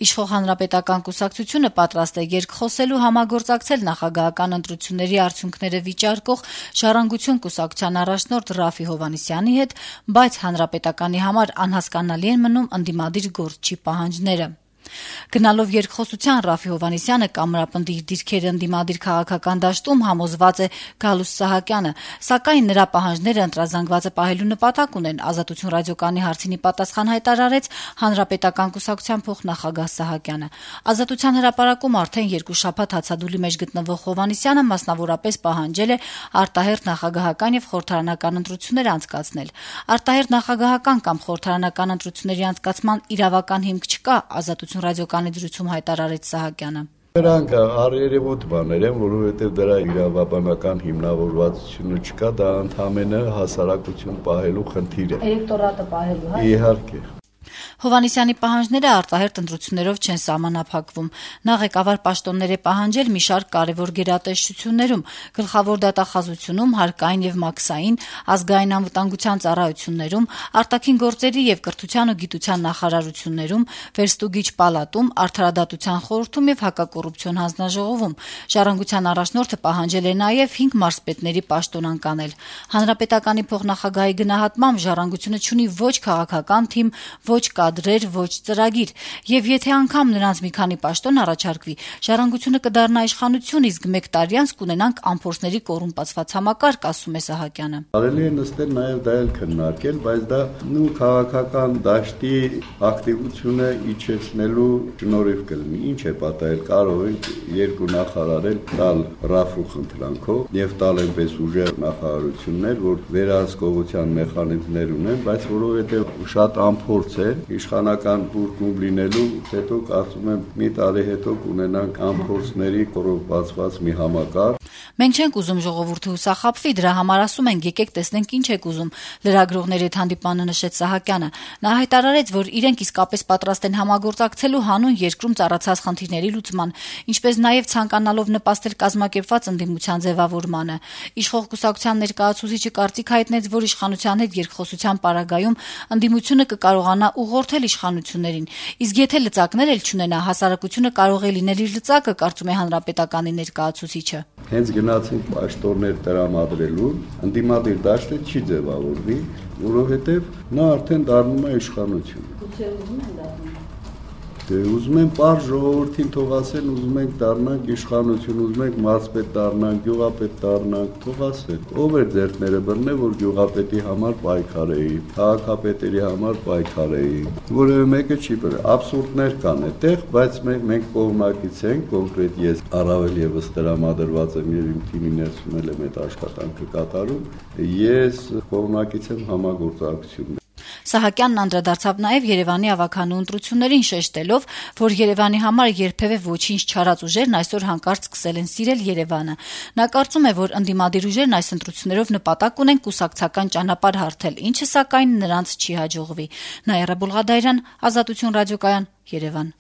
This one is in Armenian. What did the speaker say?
Իշխող Հանրապետական կուսակցությունը պատրաստ է երկխոսելու համագործակցել նախագահական ընտրությունների արդյունքները վիճարկող Ժառանգություն կուսակցության առաջնորդ Րաֆֆի Հովհաննիսյանի հետ, բայց Հանրապետականի համար անհասկանալի են մնում ընդդիմադիր գործչի պահանջները։ Գնալով երկխոսության Րաֆֆի Հովհաննիսյանը կամրապնդի իր դիրքերը ընդդիմադիր քաղաքական դաշտում համոզված է Գալուստ Սահակյանը, սակայն նրա պահանջները ընտրազանգվածը պահելու նպատակ ունեն, Ազատություն ռադիոկայանի հարցին պատասխան հայտարարեց Հանրապետական կուսակցության փոխնախագահ Սահակյանը։ Ազատության հրապարակում արդեն 2 շաբաթ հացադուլի մեջ գտնվող Հովհաննիսյանը մասնավորապես պահանջել է արտահերթ նախագահական եւ խորհրդարանական ընտրություններ անցկացնել։ Արտահերթ նախագահական կամ խորհրդարանական ընտրությունների անցկացման իրավական հիմք չկա, Ազատություն ռադիոկայանի դրությամբ հայտարարեց Սահակյանը։ Դրանք առերևույթ բաներ են, որովհետև դրա իրավաբանական հիմնավորվածությունը չկա, դա ընդհանրապես հասարակություն պահելու խնդիր է։ Էլեկտորատը պահելու, հա։ Իհարկե։ Հովհաննիսյանի պահանջները արտահերթ ընտրություններով չեն սահմանափակվում։ Նա ղեկավար պաշտոններ է պահանջել մի շարք կարևոր գերատեսչություններում, գլխավոր դատախազությունում, հարկային եւ մաքսային, ազգային անվտանգության ծառայություններում, արտաքին գործերի եւ կրթության ու գիտության նախարարություններում, վերստուգիչ պալատում, արդարադատության խորհրդում եւ հակակոռուպցիոն հանձնաժողովում։ Ժառանգության առաջնորդը պահանջել է նաեւ 5 մարզպետների պաշտոն անկանել։ Հանրապետականի փոխնախագահի գնահատմամբ Ժառանգությունը չունի ոչ քաղաքական թիմ, ոչ կադրեր, ոչ ծրագիր, եւ եթե անգամ նրանց մի քանի պաշտոն առաջարկվի, Ժառանգությունը կդառնա իշխանություն, իսկ 1 տարի անց կունենանք ամփորձների կոռումպացված համակարգ, ասում է Սահակյանը։ Կարելի է նստել նաեւ դա էլ քննարկել, բայց դա քաղաքական դաշտի ակտիվությունը իջեցնելու շնորհիվ կլինի։ Ինչ է պատահել, կարող են 2 նախարարել տալ Րաֆֆու խնդրանքով եւ տալ այնպես ուժեղ նախարարություններ, որ վերահսկողության մեխանիզմներ ունեն, բայց որովհետեւ շատ ամփորձ է իշխանական բուրգում լինելու, հետո կարծում եմ մի տարի հետո կունենանք ամփորձների կոռումպացված մի համակարգ։ Մենք չենք ուզում ժողովուրդը հուսախաբվի, դրա համար ասում ենք եկեք տեսնենք ինչ եք ուզում, լրագրողների հետ հանդիպանը նշեց Սահակյանը։ Նա հայտարարեց, որ իրենք իսկապես պատրաստ են համագործակցելու հանուն երկրում ծառացած խնդիրների լուծման, ինչպես նաեւ ցանկանալով նպաստել կազմակերպված ընդդիմության ձևավորմանը։ Իշխող կուսակցության ներկայացուցիչը կարծիք հայտնեց, որ իշխանության հետ երկխոսության պարագայում ընդդիմությունը կկարողանա ուղղորդել իշխանություններին, իսկ եթե լծակներ էլ չունենա, հասարակությունը կարող է լինել իր լծակը, կարծում է Հանրապետականի ներկայացուցիչը։ Հենց գնացինք պաշտոններ տրամադրելու, ընդդիմադիր դաշտը չի ձևավորվի, որովհետև նա արդեն դառնում է իշխանություն։ Գուցե ուզում են դառնալ։ Դե ուզում են պարզ ժողովրդին թող ասեն, ուզում ենք դառնանք իշխանություն, ուզում ենք մարզպետ դառնանք, գյուղապետ դառնանք, թող ասեն։ Ով է ձեռքները բռնել, որ գյուղապետի համար պայքարեի, քաղաքապետերի համար պայքարեի։ Որևէ մեկը չի բռնել։ Աբսուրդներ կան այդտեղ, բայց մենք կողմնակից ենք, կոնկրետ ես առավել եւս տրամադրված եմ եւ իմ թիմի ներսում էլ եմ այդ աշխատանքը կատարում։ Ես կողմնակից եմ համագործակցություն։ Սահակյանն անդրադարձավ նաև Երևանի ավագանու ընտրություններին, շեշտելով, որ Երևանի համար երբևէ ոչինչ չարած ուժերն այսօր հանկարծ սկսել են սիրել Երևանը։ Նա կարծում է, որ ընդդիմադիր ուժերն այս ընտրություններով նպատակ ունեն կուսակցական ճանապարհ հարթել, ինչը սակայն նրանց չի հաջողվի։ Նաիրա Բուլղադարյան, Ազատություն ռադիոկայան, Երևան։